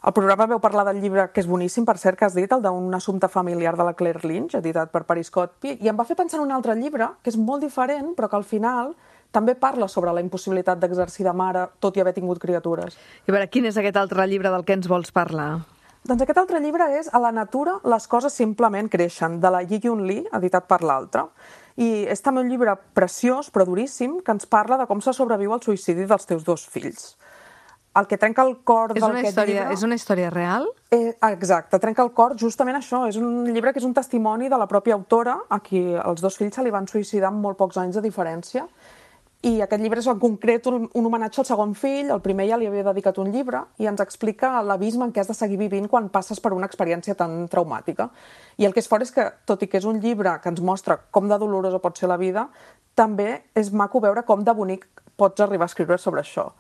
Al programa veu parlar del llibre, que és boníssim, per cert, que has dit, el d'un assumpte familiar de la Claire Lynch, editat per Paris Cotby, i em va fer pensar en un altre llibre, que és molt diferent, però que al final també parla sobre la impossibilitat d'exercir de mare, tot i haver tingut criatures. I a veure, quin és aquest altre llibre del que ens vols parlar? Doncs aquest altre llibre és A la natura les coses simplement creixen, de la Yi-Yun Lee, editat per l'Altra. I és també un llibre preciós, però duríssim, que ens parla de com se sobreviu al suïcidi dels teus 2 fills. El que trenca el cor d'aquest llibre... És una història real? Exacte, trenca el cor justament això. És un llibre que és un testimoni de la pròpia autora, a qui els 2 fills se li van suïcidar amb molt pocs anys de diferència. I aquest llibre és en concret un homenatge al segon fill, el primer ja li havia dedicat un llibre, i ens explica l'abisme en què has de seguir vivint quan passes per una experiència tan traumàtica. I el que és fort és que, tot i que és un llibre que ens mostra com de dolorosa pot ser la vida, també és maco veure com de bonic pots arribar a escriure sobre això.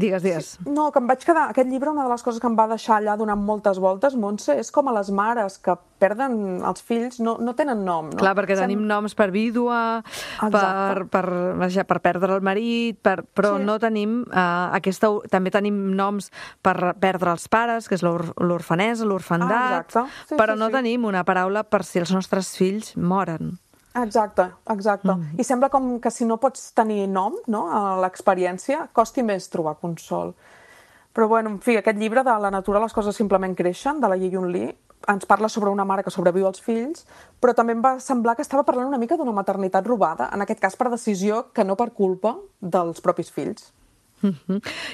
Digues. No, que em vaig quedar... Aquest llibre, una de les coses que em va deixar allà donant moltes voltes, Montse, és com a les mares que perden els fills, no tenen nom, no? Clar, perquè tenim noms per vídua, per perdre el marit, però no tenim també tenim noms per perdre els pares, que és l'orfanesa, l'orfandat, però no tenim una paraula per si els nostres fills moren. Exacte. I sembla com que si no pots tenir nom, no?, a l'experiència, costi més trobar consol. Però, bueno, en fi, aquest llibre de La natura les coses simplement creixen, de la Ye-Yun Lee, ens parla sobre una mare que sobreviu als fills, però també em va semblar que estava parlant una mica d'una maternitat robada, en aquest cas per decisió que no per culpa dels propis fills.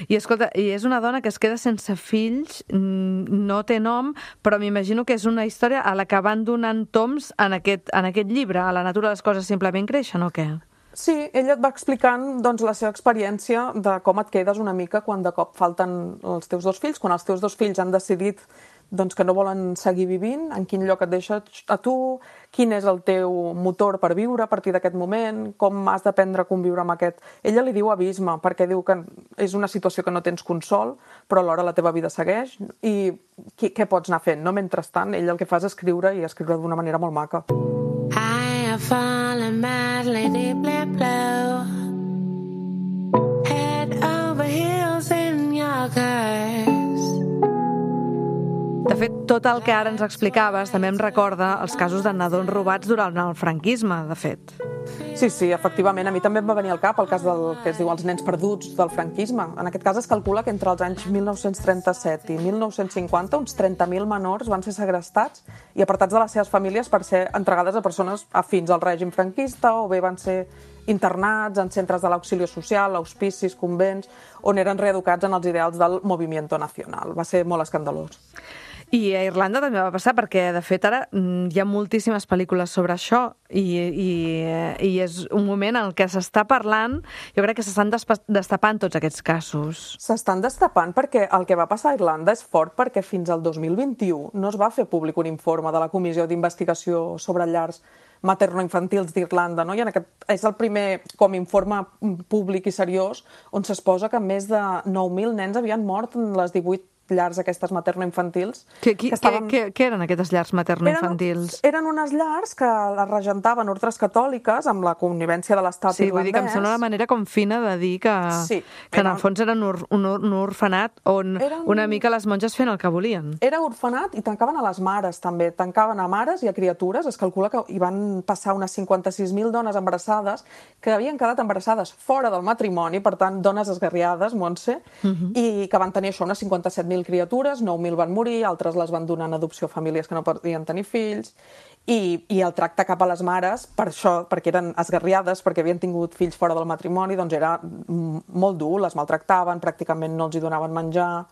I escolta, és una dona que es queda sense fills, no té nom, però m'imagino que és una història a la que van donant toms en aquest llibre, a La natura les coses simplement creixen, o què? Sí, ella et va explicant doncs, la seva experiència de com et quedes una mica quan de cop falten els teus dos fills, quan els teus dos fills han decidit doncs, que no volen seguir vivint, en quin lloc et deixa a tu, quin és el teu motor per viure a partir d'aquest moment, com has d'aprendre a conviure amb aquest... Ella li diu abisme, perquè diu que és una situació que no tens consol, però alhora la teva vida segueix, i què pots anar fent? No? Mentrestant, ella el que fa és escriure, i escriure d'una manera molt maca. I have fallen madly deeply blue, head over heels in your curse. De fet, tot el que ara ens explicaves també em recorda els casos de nadons robats durant el franquisme, de fet. Sí, efectivament. A mi també em va venir al cap el cas del que es diu els nens perduts del franquisme. En aquest cas es calcula que entre els anys 1937 i 1950 uns 30.000 menors van ser segrestats i apartats de les seves famílies per ser entregades a persones afins al règim franquista, o bé van ser internats en centres de l'auxilio social, hospicis, convents, on eren reeducats en els ideals del movimiento nacional. Va ser molt escandalós. I a Irlanda també va passar, perquè de fet ara hi ha moltíssimes pel·lícules sobre això i és un moment en què s'està parlant, jo crec que s'estan destapant tots aquests casos. S'estan destapant perquè el que va passar a Irlanda és fort, perquè fins al 2021 no es va fer públic un informe de la Comissió d'Investigació sobre llars materno-infantils d'Irlanda, no? I en aquest és el primer com informe públic i seriós on s'exposa que més de 9.000 nens havien mort en les 18 llars aquestes materno-infantils. Què eren aquestes llars materno-infantils? Eren unes llars que les regentaven ordres catòliques amb la connivència de l'estat irlandès. Sí, vull dir que em sembla una manera com fina de dir que en el fons eren un orfenat on una mica les monges feien el que volien. Era orfenat i tancaven a les mares també, tancaven a mares i a criatures. Es calcula que hi van passar unes 56.000 dones embarassades que havien quedat embarassades fora del matrimoni, per tant, dones esgarriades, Montse, i que van tenir això, unes 57.000 criatures, 9.000 van morir, altres les van donar en adopció a famílies que no podien tenir fills, i el tracte cap a les mares, per això, perquè eren esgarriades, perquè havien tingut fills fora del matrimoni, doncs era molt dur, les maltractaven, pràcticament no els hi donaven menjar.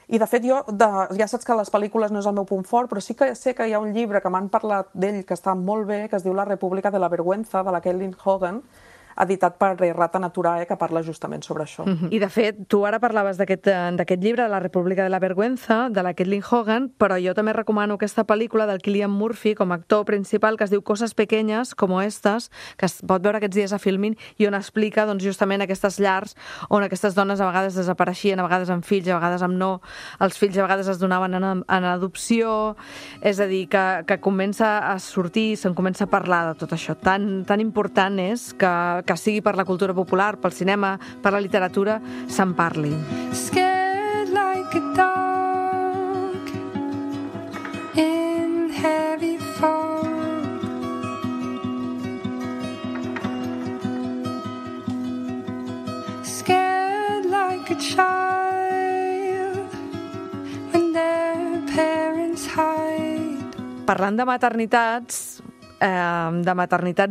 I de fet ja saps que les pel·lícules no és el meu punt fort, però sí que sé que hi ha un llibre que m'han parlat d'ell que està molt bé, que es diu La República de la Vergüenza, de la Caitlin Hogan, editat per Rata Naturae, que parla justament sobre això. I, de fet, tu ara parlaves d'aquest llibre, de La República de la Vergüenza, de la Caitlin Hogan, però jo també recomano aquesta pel·lícula del Cillian Murphy com a actor principal, que es diu Coses pequeñas como estas, que es pot veure aquests dies a Filmin, i on explica doncs, justament aquestes llars on aquestes dones a vegades desapareixien, a vegades amb fills, a vegades amb no. Els fills a vegades es donaven en adopció, és a dir, que comença a sortir, se'n comença a parlar de tot això. Tan important és que sigui per la cultura popular, pel cinema, per la literatura, se'n parli. Scared like a dog in heavy fog. Scared like a child when their parents hide. Parlant de maternitats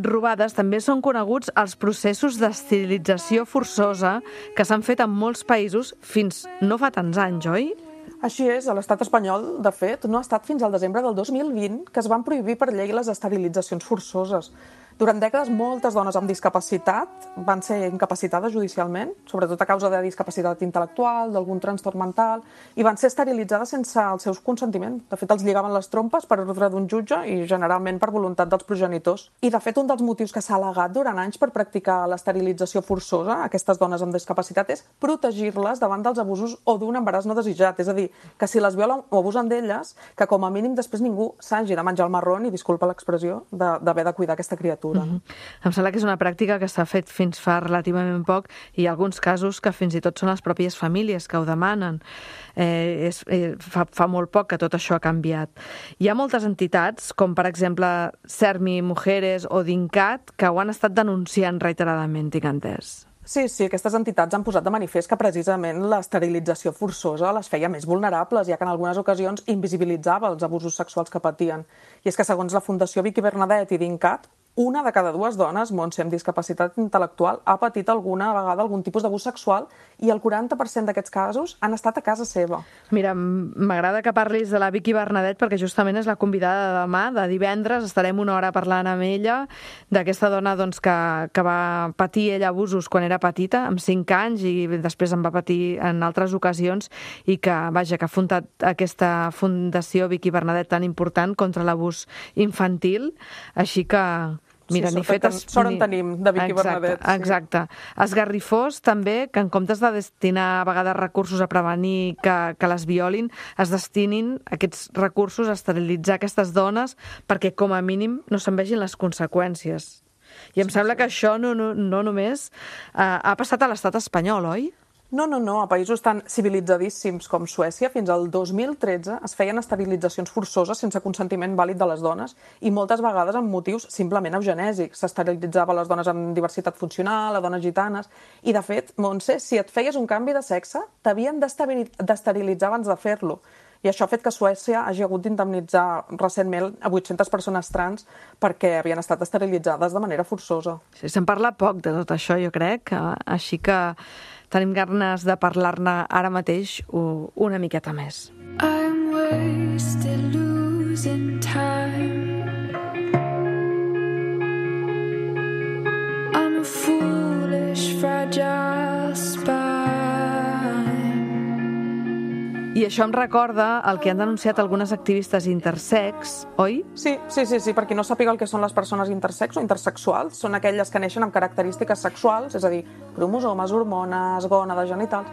robades, també són coneguts els processos d'esterilització forçosa que s'han fet en molts països fins no fa tants anys, oi? Així és, a l'estat espanyol, de fet, no ha estat fins al desembre del 2020 que es van prohibir per llei les esterilitzacions forçoses. Durant dècades, moltes dones amb discapacitat van ser incapacitades judicialment, sobretot a causa de discapacitat intel·lectual, d'algun trastorn mental, i van ser esterilitzades sense el seu consentiment. De fet, els lligaven les trompes per ordre d'un jutge i generalment per voluntat dels progenitors. I, de fet, un dels motius que s'ha al·legat durant anys per practicar l'esterilització forçosa a aquestes dones amb discapacitat és protegir-les davant dels abusos o d'un embaràs no desitjat. És a dir, que si les violen o abusen d'elles, que com a mínim després ningú s'hagi de menjar el marrón, i disculpa l'expressió, d'haver de cuidar aquesta criatura. Em sembla que és una pràctica que s'ha fet fins fa relativament poc i hi ha alguns casos que fins i tot són les pròpies famílies que ho demanen. Fa molt poc que tot això ha canviat. Hi ha moltes entitats, com per exemple Sermi Mujeres o Dincat, que ho han estat denunciant reiteradament, tinc entès. Sí, aquestes entitats han posat de manifest que precisament l'esterilització forçosa les feia més vulnerables, ja que en algunes ocasions invisibilitzava els abusos sexuals que patien. I és que segons la Fundació Vicky Bernadet i Dincat, una de cada dues dones, Montse, amb discapacitat intel·lectual ha patit alguna vegada algun tipus d'abús sexual i el 40% d'aquests casos han estat a casa seva. Mira, m'agrada que parlis de la Vicky Bernadet perquè justament és la convidada de demà, de divendres. Estarem una hora parlant amb ella d'aquesta dona que va patir ella abusos quan era petita, amb 5 anys, i després en va patir en altres ocasions i que ha fundat aquesta Fundació Vicky Bernadet tan important contra l'abús infantil. Així que... Mira, sort en tenim, de Vicky Bernadet. Exacte. Esgarrifós també que en comptes de destinar a vegades recursos a prevenir que les violin, es destinin aquests recursos a esterilitzar aquestes dones perquè com a mínim no se'n vegin les conseqüències. I em sembla que això no només ha passat a l'estat espanyol, oi? No. A països tan civilitzadíssims com Suècia, fins al 2013 es feien esterilitzacions forçoses sense consentiment vàlid de les dones i moltes vegades amb motius simplement eugenèsics. S'esterilitzava les dones amb diversitat funcional, a dones gitanes... I, de fet, Montse, si et feies un canvi de sexe, t'havien d'esterilitzar abans de fer-lo. I això ha fet que Suècia hagi hagut d'indemnitzar recentment a 800 persones trans perquè havien estat esterilitzades de manera forçosa. Sí, se'n parla poc de tot això, jo crec, així que tenim ganes de parlar-ne ara mateix una miqueta més. I'm wasted losing time. I'm a foolish, fragile spine. I això em recorda el que han denunciat algunes activistes intersex, oi? Sí, per qui no sàpiga el que són les persones intersex o intersexuals, són aquelles que neixen amb característiques sexuals, és a dir, cromosomes, hormones, gònades, genitals,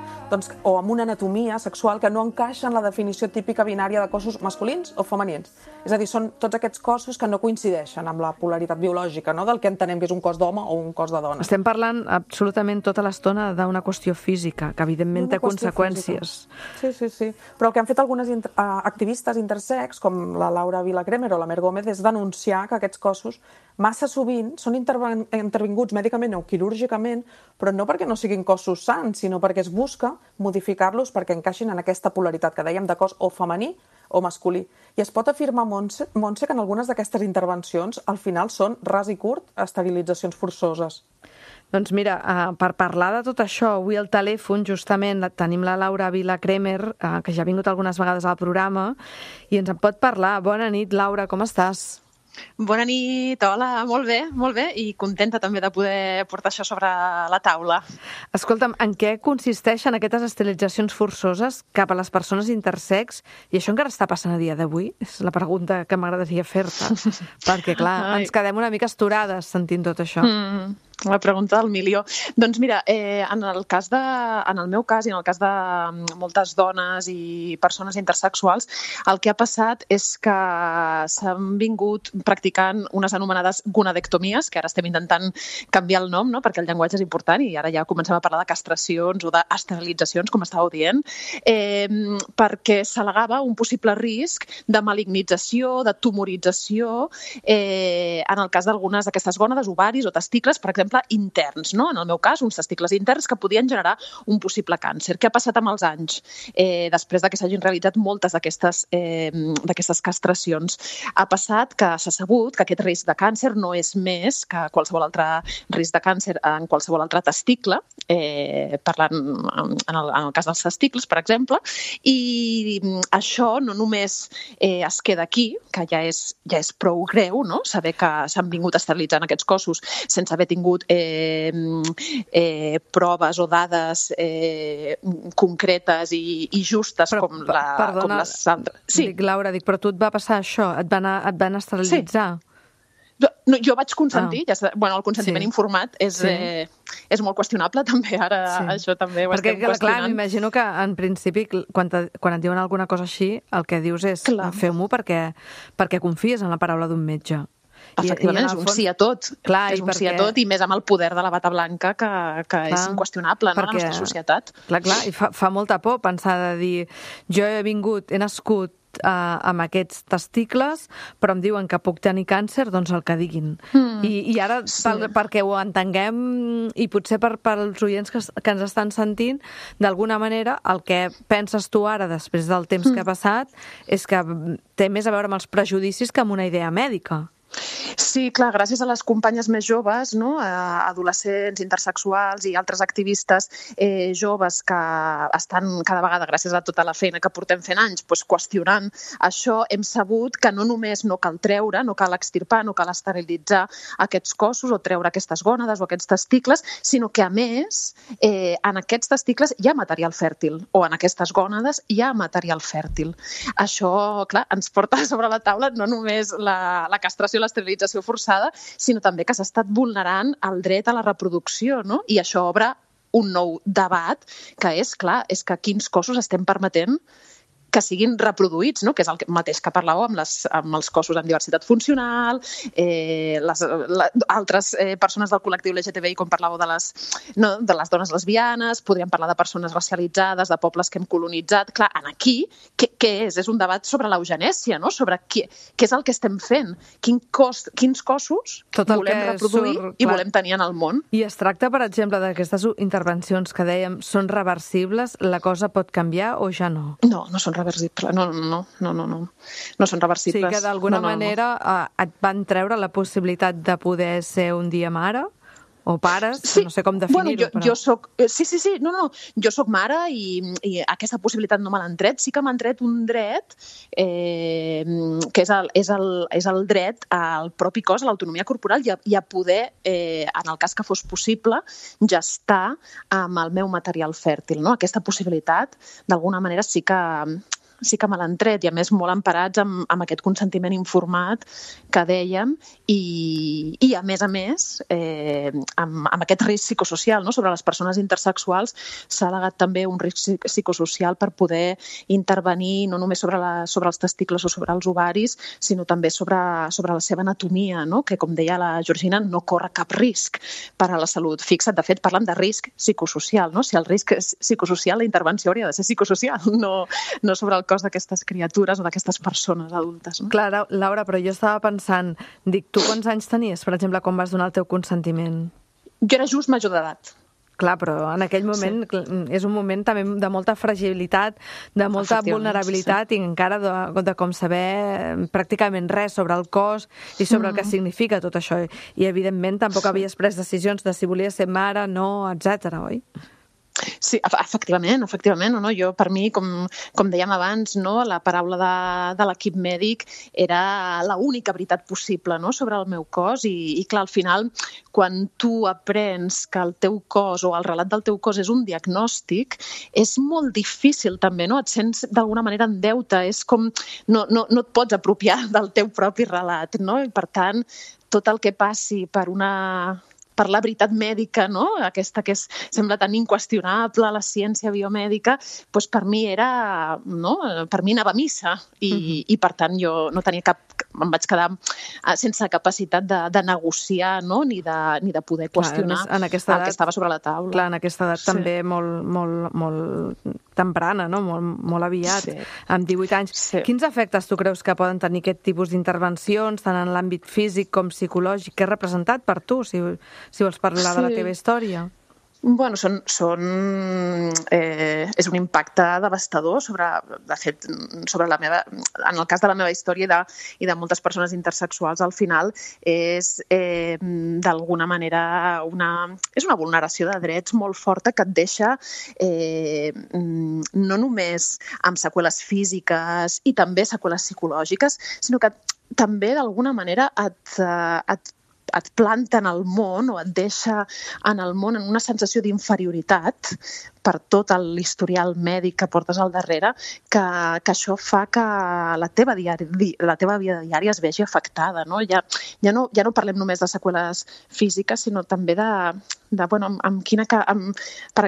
o amb una anatomia sexual que no encaixa en la definició típica binària de cossos masculins o femenins. És a dir, són tots aquests cossos que no coincideixen amb la polaritat biològica, no?, del que entenem que és un cos d'home o un cos de dona. Estem parlant absolutament tota l'estona d'una qüestió física, que evidentment té conseqüències. Sí. Però el que han fet algunes activistes intersex, com la Laura Vilacremer o la Mer Gómez, és denunciar que aquests cossos massa sovint són intervinguts mèdicament o quirúrgicament, però no perquè no siguin cossos sans, sinó perquè es busca modificar-los perquè encaixin en aquesta polaritat que dèiem de cos o femení o masculí. I es pot afirmar, Montse, que en algunes d'aquestes intervencions al final són ras i curt esterilitzacions forçoses. Doncs mira, per parlar de tot això, avui al telèfon justament tenim la Laura Vilacremer, que ja ha vingut algunes vegades al programa, i ens en pot parlar. Bona nit, Laura, com estàs? Bona nit, hola, molt bé, i contenta també de poder portar això sobre la taula. Escolta'm, en què consisteixen aquestes esterilitzacions forçoses cap a les persones intersex? I això encara està passant a dia d'avui? És la pregunta que m'agradaria fer-te, perquè, clar, ens quedem una mica esturades sentint tot això. La pregunta del milió. Doncs mira, en el meu cas i en el cas de moltes dones i persones intersexuals, el que ha passat és que s'han vingut practicant unes anomenades gonadectomies, que ara estem intentant canviar el nom, no?, perquè el llenguatge és important i ara ja comencem a parlar de castracions o d'esterilitzacions, com estàveu dient, perquè s'al·legava un possible risc de malignització, de tumorització, en el cas d'algunes d'aquestes gònades, ovaris o testicles, per exemple, exemple, interns, no? En el meu cas, uns testicles interns que podien generar un possible càncer. Què ha passat amb els anys? Després de que s'hagin realitzat moltes d'aquestes castracions, ha passat que s'ha sabut que aquest risc de càncer no és més que qualsevol altre risc de càncer en qualsevol altre testicle, parlant en el cas dels testicles, per exemple, i això no només es queda aquí, que ja és prou greu, no? Saber que s'han vingut estabilitzant aquests cossos sense haver tingut proves o dades concretes i justes com les altres. Sí. Laura, però tu et va passar això? Et van esterilitzar? Sí. No, jo vaig consentir, el consentiment informat és molt qüestionable també, ara això també ho estem qüestionant. Perquè, clar, m'imagino que en principi quan et diuen alguna cosa així, el que dius és feu-m'ho perquè confies en la paraula d'un metge. Efectivament, és un sí a tot. És un sí a tot, i més amb el poder de la bata blanca, que és inqüestionable en la nostra societat. Clar, i fa molta por pensar de dir jo he nascut amb aquests testicles, però em diuen que puc tenir càncer, doncs el que diguin. I ara, perquè ho entenguem, i potser pels oients que ens estan sentint, d'alguna manera, el que penses tu ara, després del temps que ha passat, és que té més a veure amb els prejudicis que amb una idea mèdica. Sí, clar, gràcies a les companyes més joves, no? Adolescents, intersexuals i altres activistes joves que estan cada vegada, gràcies a tota la feina que portem fent anys, qüestionant això, hem sabut que no només no cal treure, no cal extirpar, no cal esterilitzar aquests cossos o treure aquestes gònades o aquests testicles, sinó que, a més, en aquests testicles hi ha material fèrtil, o en aquestes gònades hi ha material fèrtil. Això, clar, ens porta sobre la taula no només la castració, l'esterilització forçada, sinó també que s'ha estat vulnerant el dret a la reproducció, no? I això obre un nou debat, que és, clar, és que quins cossos estem permetent que siguin reproduïts, no? Que és el mateix que parlàveu amb els cossos amb diversitat funcional, altres persones del col·lectiu LGTBI, com parlàveu de les dones lesbianes, podríem parlar de persones racialitzades, de pobles que hem colonitzat. Clar, aquí, què és? És un debat sobre l'eugenèsia, no? Sobre què és el que estem fent, quins cossos volem reproduir i volem tenir en el món. I es tracta, per exemple, d'aquestes intervencions que dèiem, són reversibles? La cosa pot canviar o ja no? No són reversibles. No són reversibles. Sí, que d'alguna manera et van treure la possibilitat de poder ser un dia mare o pares, no sé com definir-ho. Jo soc... Sí, jo soc mare i aquesta possibilitat no me l'han tret. Sí que m'han tret un dret que és el dret al propi cos, a l'autonomia corporal i a poder, en el cas que fos possible, gestar amb el meu material fèrtil. Aquesta possibilitat, d'alguna manera, sí que me l'han tret, i a més molt emparats amb aquest consentiment informat que dèiem, i a més, amb aquest risc psicosocial, no? Sobre les persones intersexuals s'ha alegat també un risc psicosocial per poder intervenir no només sobre els testicles o sobre els ovaris, sinó també sobre la seva anatomia, no? Que, com deia la Georgina, no corre cap risc per a la salut. Fixa't, de fet, parlen de risc psicosocial, no? Si el risc és psicosocial, la intervenció hauria de ser psicosocial, no sobre el cos d'aquestes criatures o d'aquestes persones adultes. No? Clar, Laura, però jo estava pensant, tu quants anys tenies, per exemple, quan vas donar el teu consentiment? Jo era just major d'edat. Clar, però en aquell moment és un moment també de molta fragilitat, de molta vulnerabilitat i encara de com saber pràcticament res sobre el cos i sobre el que significa tot això. I, evidentment, tampoc havies pres decisions de si volies ser mare, no, etcètera, oi? Sí, efectivament. No? Jo, per mi, com dèiem abans, no? La paraula de l'equip mèdic era l'única veritat possible, no? Sobre el meu cos i clar, al final, quan tu aprens que el teu cos o el relat del teu cos és un diagnòstic, és molt difícil també, no? Et sents d'alguna manera en deute, és com no et pots apropiar del teu propi relat, no? I per tant, tot el que passi per la veritat mèdica, no? Aquesta que sembla tan inqüestionable, la ciència biomèdica, doncs per mi era, no? Per mi anava a missa i per tant jo no tenia cap em vaig quedar sense capacitat de negociar, no? ni de poder qüestionar el que estava sobre la taula. Clar, en aquesta edat també molt temprana, no? Molt aviat, amb 18 anys. Quins efectes tu creus que poden tenir aquest tipus d'intervencions, tant en l'àmbit físic com psicològic? Què ha representat per tu, si vols parlar de la teva història? Bueno, és un impacte devastador de fet, en el cas de la meva història i de moltes persones intersexuals, al final és d'alguna manera és una vulneració de drets molt forta que et deixa no només amb seqüeles físiques i també seqüeles psicològiques, sinó que també d'alguna manera et planta en el món o et deixa en el món en una sensació d'inferioritat per tot l'historial mèdic que portes al darrere, que això fa que la teva vida diària es vegi afectada. No? Ja no parlem només de seqüeles físiques, sinó també per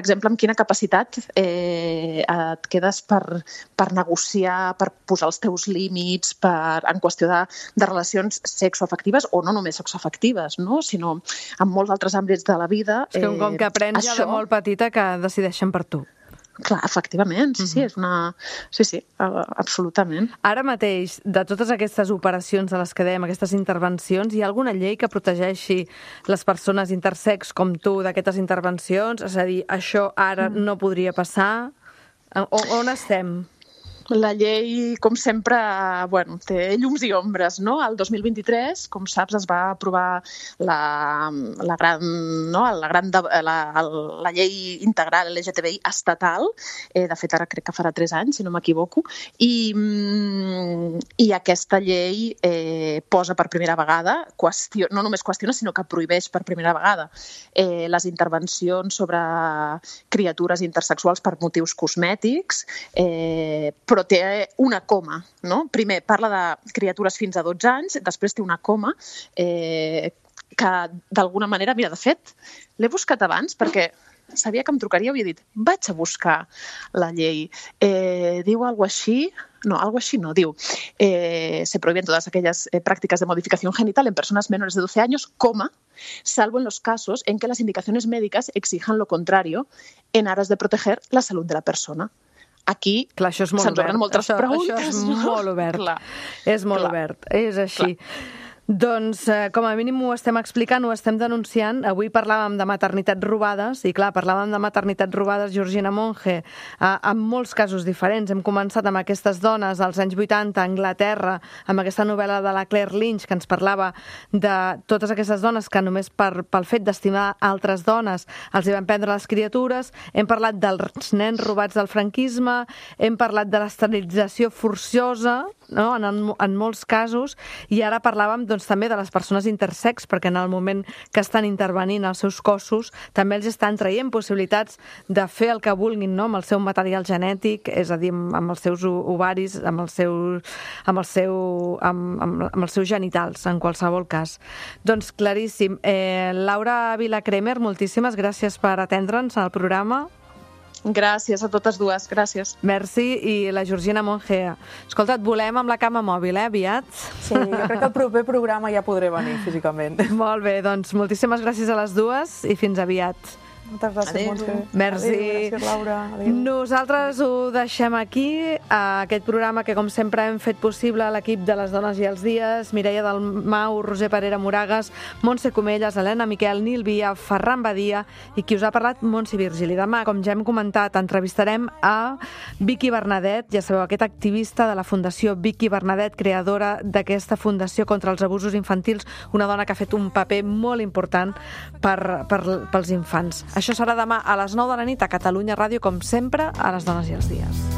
exemple, amb quina capacitat et quedes per negociar, per posar els teus límits, en qüestió de relacions sexoafectives o no només sexoafectives, no? Sinó en molts altres àmbits de la vida. És que com que aprens ja de molt petita que decideixen per tu. Clar, efectivament, sí, sí, absolutament. Ara mateix, de totes aquestes operacions de les que dèiem, aquestes intervencions, hi ha alguna llei que protegeixi les persones intersex com tu d'aquestes intervencions? És a dir, això ara no podria passar? On estem? La llei, com sempre, té llums i ombres, no? El 2023, com saps, es va aprovar la llei integral LGTBI estatal. De fet, ara crec que farà 3 anys, si no m'equivoco. I aquesta llei posa per primera vegada, no només qüestiona, sinó que prohibeix per primera vegada les intervencions sobre criatures intersexuals per motius cosmètics, però té una coma, no? Primer parla de criatures fins a 12 anys, després té una coma que d'alguna manera, mira, de fet, l'he buscat abans perquè sabia que em trucaria i havia dit, vaig a buscar la llei. Diu algo així, diu, se prohíben todas aquellas prácticas de modificación genital en personas menores de 12 años, salvo en los casos en que las indicaciones médicas exijan lo contrario en aras de proteger la salud de la persona. Aquí se'ns obren moltes preguntes. Això és molt obert. És molt obert, és així. Doncs, com a mínim ho estem explicant, ho estem denunciant. Avui parlàvem de maternitats robades, i clar, parlàvem de maternitats robades, Georgina Monge, en molts casos diferents. Hem començat amb aquestes dones als anys 80 a Anglaterra, amb aquesta novel·la de la Claire Lynch, que ens parlava de totes aquestes dones que només pel fet d'estimar altres dones els hi van prendre les criatures. Hem parlat dels nens robats del franquisme, hem parlat de l'esterilització forçosa, no? En molts casos, i ara parlàvem també de les persones intersex, perquè en el moment que estan intervenint els seus cossos també els estan traient possibilitats de fer el que vulguin, no? Amb el seu material genètic, és a dir, amb els seus ovaris, amb els seus genitals, en qualsevol cas. Doncs claríssim. Laura Vila-Cremer, moltíssimes gràcies per atendre'ns al programa. Gràcies a totes dues, gràcies. Merci, i la Georgina Monge. Escolta, et volem amb la cama mòbil, aviat? Sí, jo crec que el proper programa ja podré venir físicament. Molt bé, doncs moltíssimes gràcies a les dues i fins aviat. Moltes gràcies, Montse. Merci. Adéu, gràcies, Laura. Adéu. Nosaltres ho deixem aquí, aquest programa que, com sempre, hem fet possible l'equip de les Dones i els Dies, Mireia Dalmau, Roser Parera Moragas, Montse Comelles, Helena Miquel, Nil Via, Ferran Badia i qui us ha parlat, Montse Virgili. Demà, com ja hem comentat, entrevistarem a Vicky Bernadet, ja sabeu, aquest activista de la Fundació Vicky Bernadet, creadora d'aquesta Fundació contra els Abusos Infantils, una dona que ha fet un paper molt important pels infants. Això serà demà a les 9 de la nit a Catalunya Ràdio, com sempre, a les Dones i els Dies.